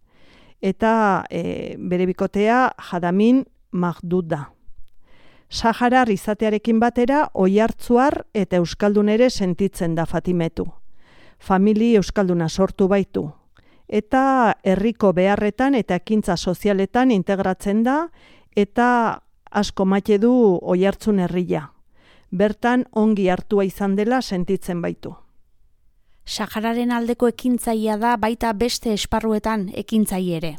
Eta e, bere bikotea Jadamin Mahduda. Saharar izatearekin batera Oiartzuar eta Euskaldun ere sentitzen da Fatimetu. Famili euskalduna sortu baitu, eta herriko beharretan eta ekintza sozialetan integratzen da, eta asko maite du Oiartzun herria. Bertan ongi hartua izan dela sentitzen baitu. Sahararen aldeko ekintzailea da baita beste esparruetan ekintzaile ere.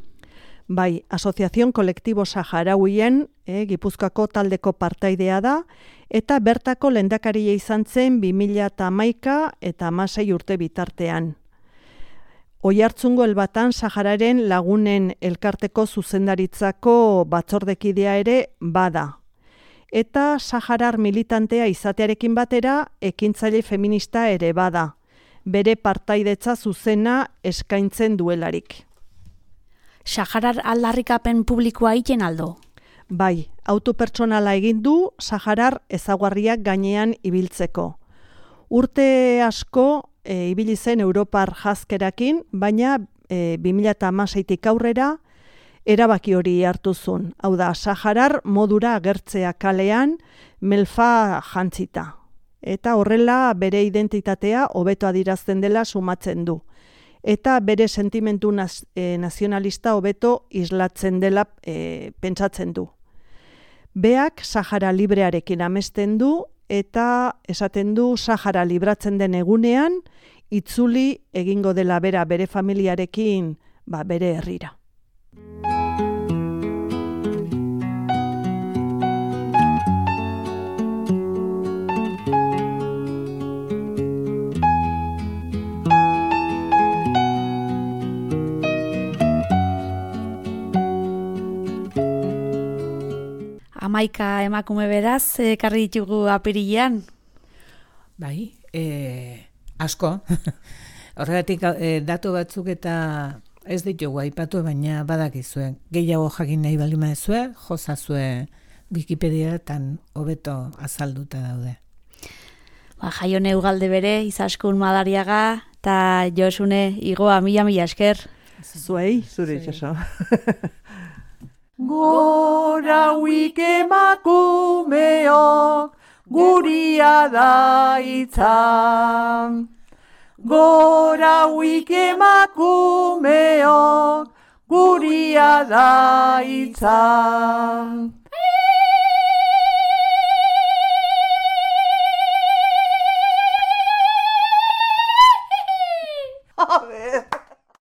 Bai, Asoziazion Kolektibo Saharauien, eh, Gipuzkoako taldeko partaidea da, eta bertako lehendakaria izan zen bi mila hamaika eta hamasei urte bitartean. Oiartzungo Elbatan Sahararen lagunen elkarteko zuzendaritzako batzordekidea ere bada. eta Saharar militantea izatearekin batera ekintzaile feminista ere bada, bere partaidetza zuzena eskaintzen duelarik. Saharar aldarrikapen publikoa egiten aldo? Bai, autopertsonala egin du Saharar ezaguarriak gainean ibiltzeko. Urte asko e, ibili zen Europar jazkerakin, baina e, bi mila hamaseitik aurrera erabaki hori hartu zuen. Hau da, Saharar modura agertzea kalean melfa jantzita. Eta horrela bere identitatea hobeto adirazten dela sumatzen du. Eta bere sentimentu naz, e, nazionalista hobeto islatzen dela e, pentsatzen du. Beak Sahara librearekin amesten du eta esaten du Sahara libratzen den egunean itzuli egingo dela bera bere familiarekin ba, bere herrira. Hamaika emakume beraz, ekarri ditugu apirilean. Bai, e, asko. Horregatik e, datu batzuk eta ez ditugu aipatu, baina badakizue. Gehiago jakin nahi baldin baduzue, jozazue Wikipediatan hobeto azalduta daude. Ba, Jaione Ugalde bere, Izaskun Madariaga, eta Josune Igoa mila mila esker. Zuei, Zure itxaso. Gora huik emakumeok, guria da itzan. Gora huik emakumeok, guria da itzan.